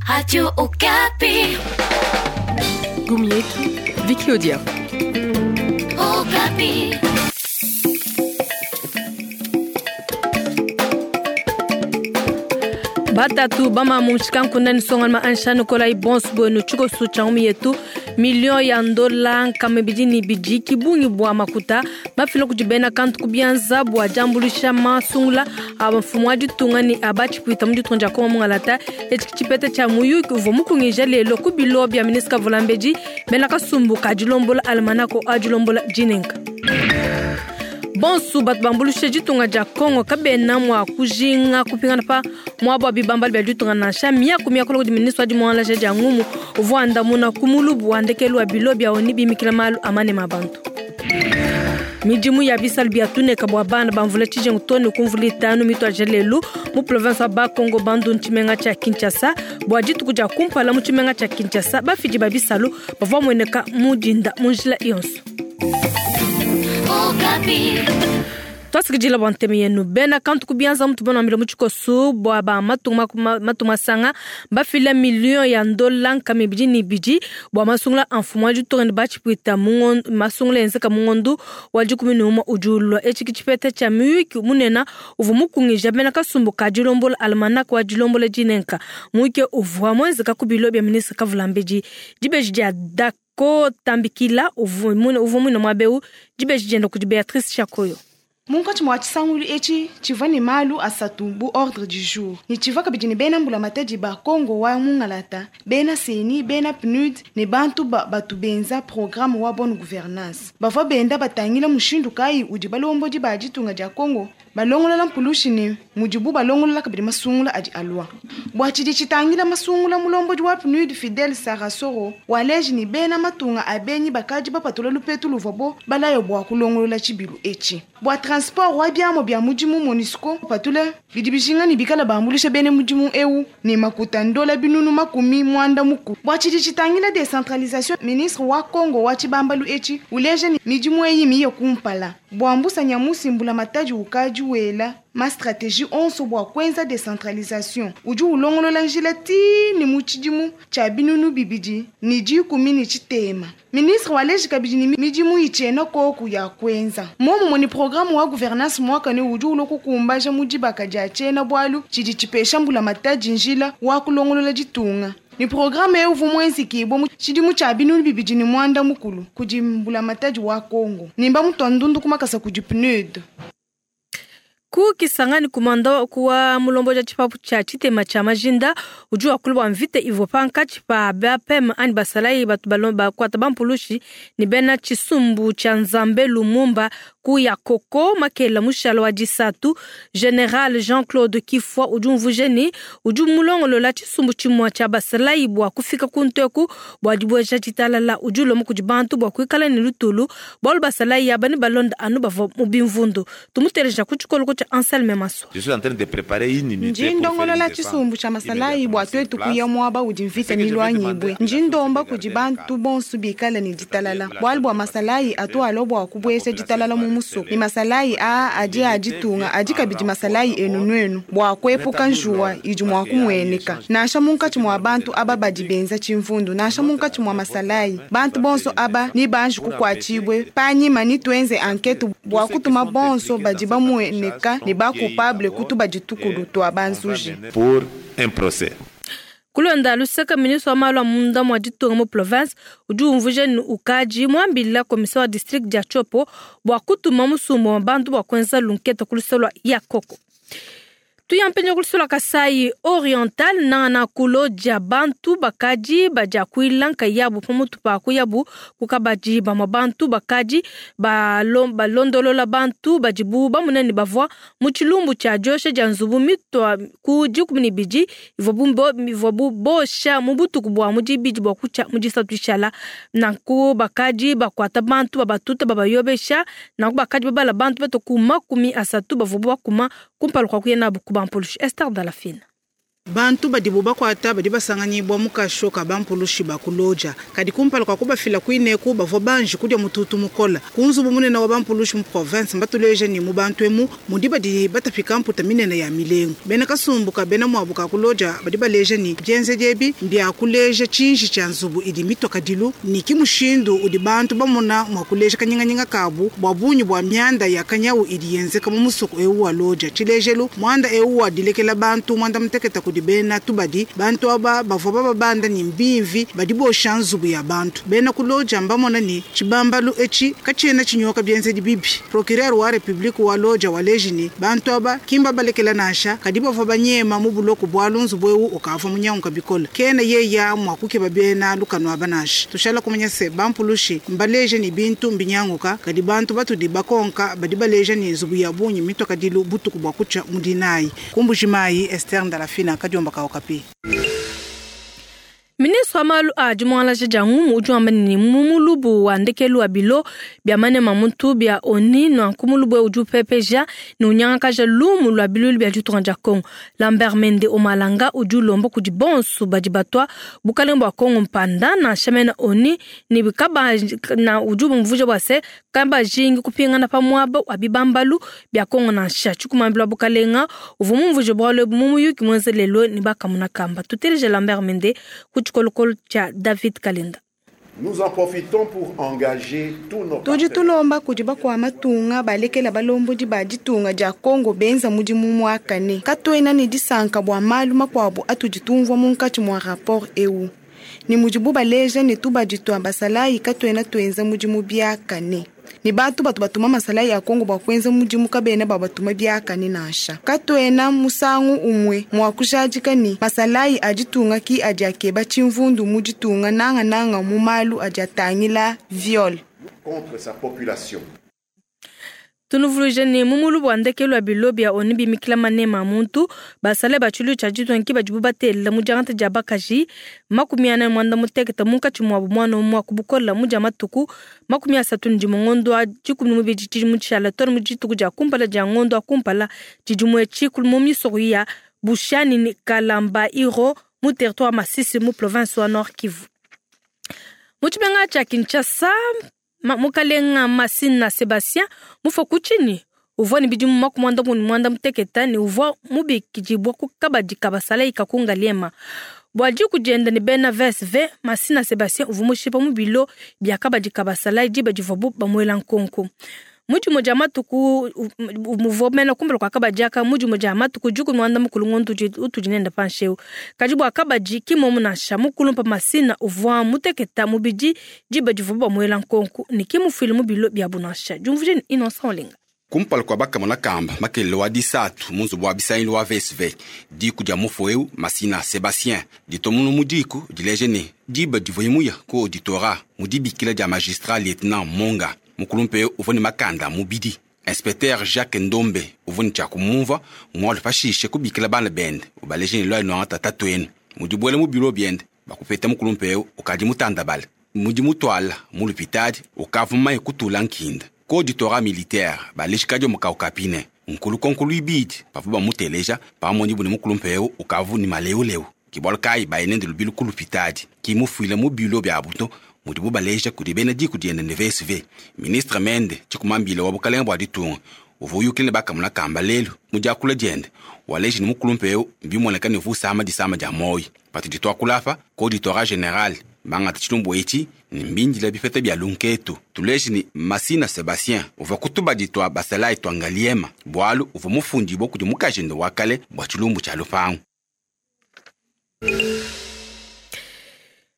Radio Okapi. Gumietu, Vicky Odia. Okapi. Batatu bamamu nshikanku nsongaluma anshanu kolayi bonso bwenu tshikosu tshia ngumi yetu million ya ndola nkama ibidi ne ibidi ki bungi bua makuta mafila kudi bena kantu ku bianza bua diambuluisha masungula a mfumu wa ditunga ne a batshipuita mu ditunga dia Kongo mungalata. Etshi ki tshipeta tshia muyuki uvua mukungija lelo ku bilo bia ministre Kavulambedi bena kasumbu ka dilombola almanako a dilombola dinenka. Bonso batu bambuluisha ditunga dia Kongo kabena mua kujinga kupingana pa muaba wa bibambalu bia ditunga nansha miaku miakula kudi ministre wa dimuangalaja dia ngumu uvua andamuna ku mulubu wa ndekelu wa bilo bia ONU bimikila malu a manema a bantu. Midimu ya bisalu bia tuneka bua bana ba mvula tshijengu too ne ku mvula itanu mituadija lelu mu province wa Bas-Congo Bandundu tshimenga tshia Kinshasa. Bua dituku dia kumpala mu tshimenga tshia Kinshasa, bafidi ba bisalu bavua bamueneka mu dinda mu njila yonso. Twasikidila bua ntema yenu bena kantu ku bianza mutu banuambila mu tshikosu bua ba matunga matunga masanga bafila million ya ndola nkama ibidi ne ibidi bua masungula a mfumu wa ditunga ne batshipuita mu ngondo, masungula enzeka mu ngondo wa dikumi ne umue udi ulua. Etshi ki tshipeta tshia muyuki munene uvua mukungija bena kasumbu ka dilombola almanach wa dilombola dinenka. Muyuki uvua muenzeka ku bilo bia ministre Kavulambedi. Dibeji dia Dako Tambikila uvua muine muaba eu, dibeji dienda kudi Beatrice Chakoyo. Munkatshi mua tshisangulu etshi tshivua ne malu asatu bu ordre du jour ne tshivua kabidi ne bena mbulamatadi ba Kongo wa mungalata, bena CENI, bena PNUD ne bantu batu benza programme wa bonne gouvernance. Bavua benda batangila mushindu kayi udi balombodi ba ditunga dia Kongo balongolola mpulushi ne mudibu balongolola kabidi masungula adi alua. Bua tshidi tshitangila masungula, mulombodi wa PNUD Fidel Sarasoro waleji ne bena matunga a benyi bakadi bapatula lupetu luvuabo balayo bua kulongolola tshibilu etshi. Bua transport wa biamo bia mudimu MONUSCO patula bidi bijinga ne bikala bambulisha bene mudimu eu ne makuta ndola binunu makumi mwanda muku. Bua tshidi tshitangila decentralisation, ministre wa Kongo wa tshibambalu etshi uleja ne midimu eyi miye kumpala. Bua mbusa nyamusi mbulamatadi ukadi wela ma stratégie onso bua kuenza decentralisation udi ulongolola njila ti ne mu tshidimu tshia binunu bibidi ne dikumi ne tshitema. Ministre waleji kabidi ne midimu itshiena koku ya kuenza. Momumue ne programme wa gouvernance muakane udi ulua kukumbaja mu dibaka dia tshiena bualu tshidi tshipesha mbulamatadi njila wa kulongolola ditunga. Ni programme eu uvua muenzekibua mu tshidimu tshia binunu bibidi ne muanda mukulu kudi mbulamatadi wa Kongo. Nimba mutua ndundu kumakasa kudi PNUD. Ku Kisangani kumanda kuwa mulombo ja tshipapu tshia tshitema tshia majinda udi wakula bua mvita ivua pankatshi pa BAPM anyi basalayi batu balomba bakuata bampulushi ne bena tshisumbu tshia Nzambe Lumumba ku ya Koko makela mushala wa disatu. General Jean-Claude Kifwa udi umvuija ne udi mulongolola tshisumbu tshimue tshia basalayi bua kufika ku nteku bua dibueja ditalala. Udi ulomba kudi bantu bua kuikala ne lutulu bualu basalayi aba ne balonda anu bavua mu bimvundu. Tumuteleja ku tshikoloko tshia Anselme Maswa. Je suis en train de préparer une unité Ndi pour faire une ndongolola défense tshisumbu tshia masalayi bua immédiatement twetu sur kuya place. muaba udi mvita Ce que je vais milwanyibwe. demander à Ndi la ndomba société kudi gardienne bantu K. bonso bikale ne ditalala. C'est-à-dire Bualu bua la masalayi atu alo bua kubuesha population ditalala mu va musoko. rester Ni masalayi aa adi a ditunga adi kabidi masalayi enu nuenu bua kuepuka njuwa idi mua kumueneka. Nansha munkatshi mua bantu aba badi benza tshimvundu, nansha munkatshi mua masalayi, bantu bonso aba ni banji kukuatshibue panyima ni tuenze enquête bua kutuma bonso badi bamueneka ne bakupable kutuba ditukulu tua banzuji. Pour un procès. Kulonda luseka ministre wa malu a munda mua ditunga mu province udi umvuija ne ukadi muambila commissaire wa district dia Tshopo bua kutuma musumba wa bantu bua kuenza lunketa ku luseke lua Yakoko. Tuyampenja ku luseke lua Kasai Oriental nangana kulo dia bantu bakadi badia kuila nkayabu pamutu pa kuyabu kukabadi bamue bantu bakadi balondolola bantu badibu bamunene bavua mu tshilumbu tshia diosha dia nzubu mitua ku dikumi ne ibidi ivua bu bosha mu butuku bua mu dibidi bua kutshia mu disatu ishala. Nanku bakadi bakuata bantu babatuta babayobesha, nanku bakadi babala bantu bato ku makumi asatu bavua bakuma kumpala kua kuya nabu ku bampulushi. Esther Dalafine. Bantu badibu bakuata badi basanganyibua mu kasho ka bampulushi ba ku Lodja. Kadi kumpala kua kubafila kuineku, bavua banji kudia mututu mukola. Ku nzubu munene wa bampulushi mu province, mbatuleja ne mu bantu emu mudi badi batapika mputa minene ya milengu. Bena kasumbu ka bena muabu ka ku Lodja badi baleja ne bienzedi ebi mbia kuleja tshinji tshia nzubu idi mitua kadilu ne ki mushindu udi bantu bamona mua kuleja kanyinganyinga kabu bua bungi bua mianda ya kanyawu idi yenzeka mu musoko eu wa Lodja. Tshilejelu, muanda eu wa dilekela bantu muanda mutekete kudi bena tubadi, bantu aba bavua bababanda ne mbimvi badi bosha nzubu ya bantu. Bena ku Lodja mbamona ne tshibambalu etshi katshiena tshinyoka bienzedi bibi. Procureur wa Republique wa Lodja waleji ne bantu aba ki mbabalekela nansha, kadi bavua banyema mu buloko bualu nzubu eu ukavua munyanguka bikole. Kena yeya mua kukeba bena lukanu aba nansha. Tushala kumanya se bampulushi mbaleje ne bintu mbinyanguka, kadi bantu batudi bakonka badi baleja ne nzubu ya bungi mitua kadilu butuku bua kutshia mu dinayi. Ku Mbujimayi, Esther Ndalafina, Kadiomba ka Okapi. Ministre wa malu a dimuangalaja dia ngumu udi wamba ne mu mulubu wa ndekelu wa bilo bia manema muntu bia ONU nanku mulubu eu udi upepeja ne unyangakaja lumu lua biluilu bia ditunga dia Congo. Lambert Mende Omalanga udi ulomba kudi bonso badi batua bukalenge bua Congo mpanda nansha mena ONU ne bikaba na udi umvuija bua se kabajingi kupingana pa muaba wa bibambalu bia Congo nansha. Tshikumambila bukalenga uvua mumvuije bualu ebu mu muyuki muenza lelo ne bakamuna kamba. Tuteleje Lambert Mende ku tshikolokolo tshia David Kalenda. Nous en profitons pour engager tous nos Tudi partenaires. tulomba kudi bakua matunga balekela balombodi ba ditunga dia Congo benza mudimu muakane. Katuena ne disanka bua malu makuabu atudi tumvua munkatshi mua rapport eu. Ne mudibu baleja ne tubadi tua basalayi katuena tuenza mudimu biakane. Ne bantu batu batuma masalayi a Congo bua kuenza mudimu kabena babatuma biakane nansha. Katuena musangu umue mua kujadika ne masalayi a ditunga ki adi akeba tshimvundu mu ditunga nangananga mu malu adi atangila viol. contre sa population. Tunuvuluije ne mu mulubu wa ndekelu wa bilo bia ONU bimikila manema a muntu basale ba tshiluilu tshia ditunga ki badibu batelela mu diangata dia bakaji 46 munkatshi muabu muana umue wa kubukola mu dia matuku 31 ngondo wa 12 tshidimu tshishala too ne mu dituku dia kumpala dia ngondo wa kumpala tshidimu etshi mu misoko ya Bushani ne Kalamba Iro mu territoire Masisi mu province wa Nord Kivu. Mu tshimenga tshia Kinshasa, mukalenga Masina Sebastien mufua ku tshinyi uvua ne bidimu 98 ne uvua mubikidibua ku kabadi ka basalayi ka ku Ngaliema. Bua diku dienda ne bena VSV, Masina Sebastien uvua mushipa mu bilo bia kabadi ka basalayi diba divuabu bamuela nkonko. Mu dimue dia matuku muvua mena kumpala kua kabadi aka mu dimue dia matuku 19 ngondo utudi nenda panshi eu. Kadi bua kabadi ki momu nansha mukulumpa Masina uvua muteketa mubidi diba divuabu bamuela nkonko ne ki mufuile mu bilo biabu nansha. Diumvuije ne Innocent Olenga. Kumpala kua bakamona kamba makelele wa disatu mu nzubu wa bisangilu wa VSV, diku dia mufu eu Masina Sebastien ditomunu mu diku dileje ne diba divuaye muya ku auditorat mu dibikila dia magistrat lieutenant Monga. Mukulumpe eu uvua ne makanda a mubidi. Inspecteur Jacques Ndombe uvua ne tshia kumumva mualu pashishe kubikila bana bende ubaleje ne lua nuangata tatuenu. Mudibuele mu bilo biende bakupeta mukulumpe eu ukadi mutandabale. Mudi mutwala mu lupitadi ukavua mumaye kutula nkinda. Ku auditorat militaire balejikadi mukau kapine nkulu ibidi bavua bamuteleja pamoni bune mukulumpe eu ukavu ne maleuleu. Ki bualu kayi baye nende lubilu ku lupitadi ki mufuile mu bilo biabu to mudibu baleja kudi bena diku diende ne VSV. Ministre Mende tshikumambile wa bukalenga bua ditunga uvua uyukile ne bakamuna kamba lelu mu diakula diende waleji ne mukulumpe eu mbimuoneka ne uvua usama disama dia moyi. Patudi tuakula apa ku auditorat general bangata tshilumbu etshi ne mbindila bipeta bia lunketu. Tuleji ne Masina Sebastien uvua kutubadi tua basalayi tua Ngaliema bualu uvua mufundibua kudi mukajende wa kale bua tshilumbu tshia lupangu.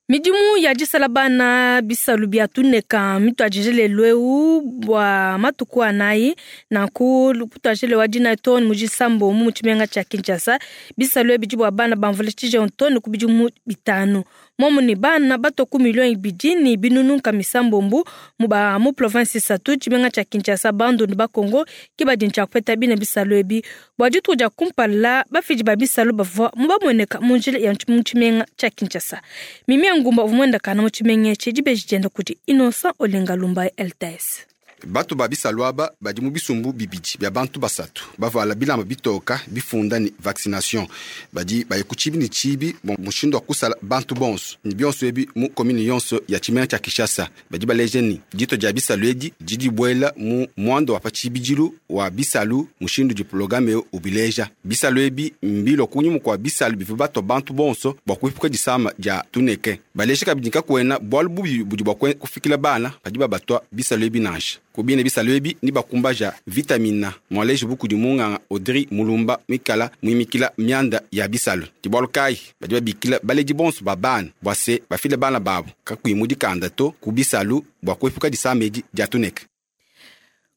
Midimu ya disala bana bisalu bia tuneka mituajije lelu eu bua matuku anayi nanku kutuajile wa dina too ne mu disambo mu tshimenga tshia Kinshasa. Bisalu ebi bua bana bamvula tshije too ne ku bidimu 5 momu ne bana bato ku miliyoni 2 ne binunu nka misambombu mu ba mu province 3 tshimenga tshia Kinshasa Bandundu ba Congo ki badi ntshia kupeta bina bisalu ebi bua dituku dia kumpala bafidi ba bisalu bavua mu bamueneka mu njila ya mu tshimenga tshia Kinshasa. Mimi Ngumba uvua muenda kana mu tshimenga etshi dibeji dienda kudi Innocent Olenga Lumba LTS. Bato ba bisalu aba badi mu bisumbu bibidi bia bantu basatu bavala bilamba bitoka bifunda ni vaccination. Badi baye ku tshibi ne tshibi bua mushindu wa kusala bantu bonso ne bionso ebi mu commune yonso ya tshimenga tshia Kinshasa. Badi baleja ni dito dia bisalu edi didi dibuela mu muanda wa pa tshibidilu wa bisalu mushindu di programme eu ubileja. Bisalu ebi mbilua kunyima kua bisalu bivua batua bantu bonso bua kuepuka disama dia tuneke. Baleja kabidi kakuena bualu bubi budi bua kufikila bana badi babatua bisalu ebi nansha. Kubine bisalu ebi ni bakumbaja vitamina mwaleji bukudi munganga Audrey Mulumba mwikala mwimikila mianda ya bisalu. Ti bualu kayi badi babikila baledi bonso ba bana bua se bafile bana babo kakuyi mu dikanda to ku bisalu bua kuepuka disama edi dia tuneke.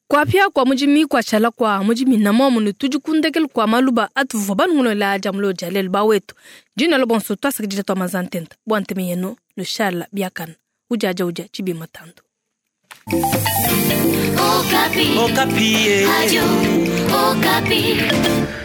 Kuapia kua mudimi kuatshala kua mudimi na momu ne tudi kundekelu kua maluba atuvua banungolola dia mulo dia lelu bawetu. Dina lo bonso twasakidila tua mazantenta bua nteme yenu lushala biakana ujaja uja tshibima tando. Okapi. Okapi. Radio Okapi.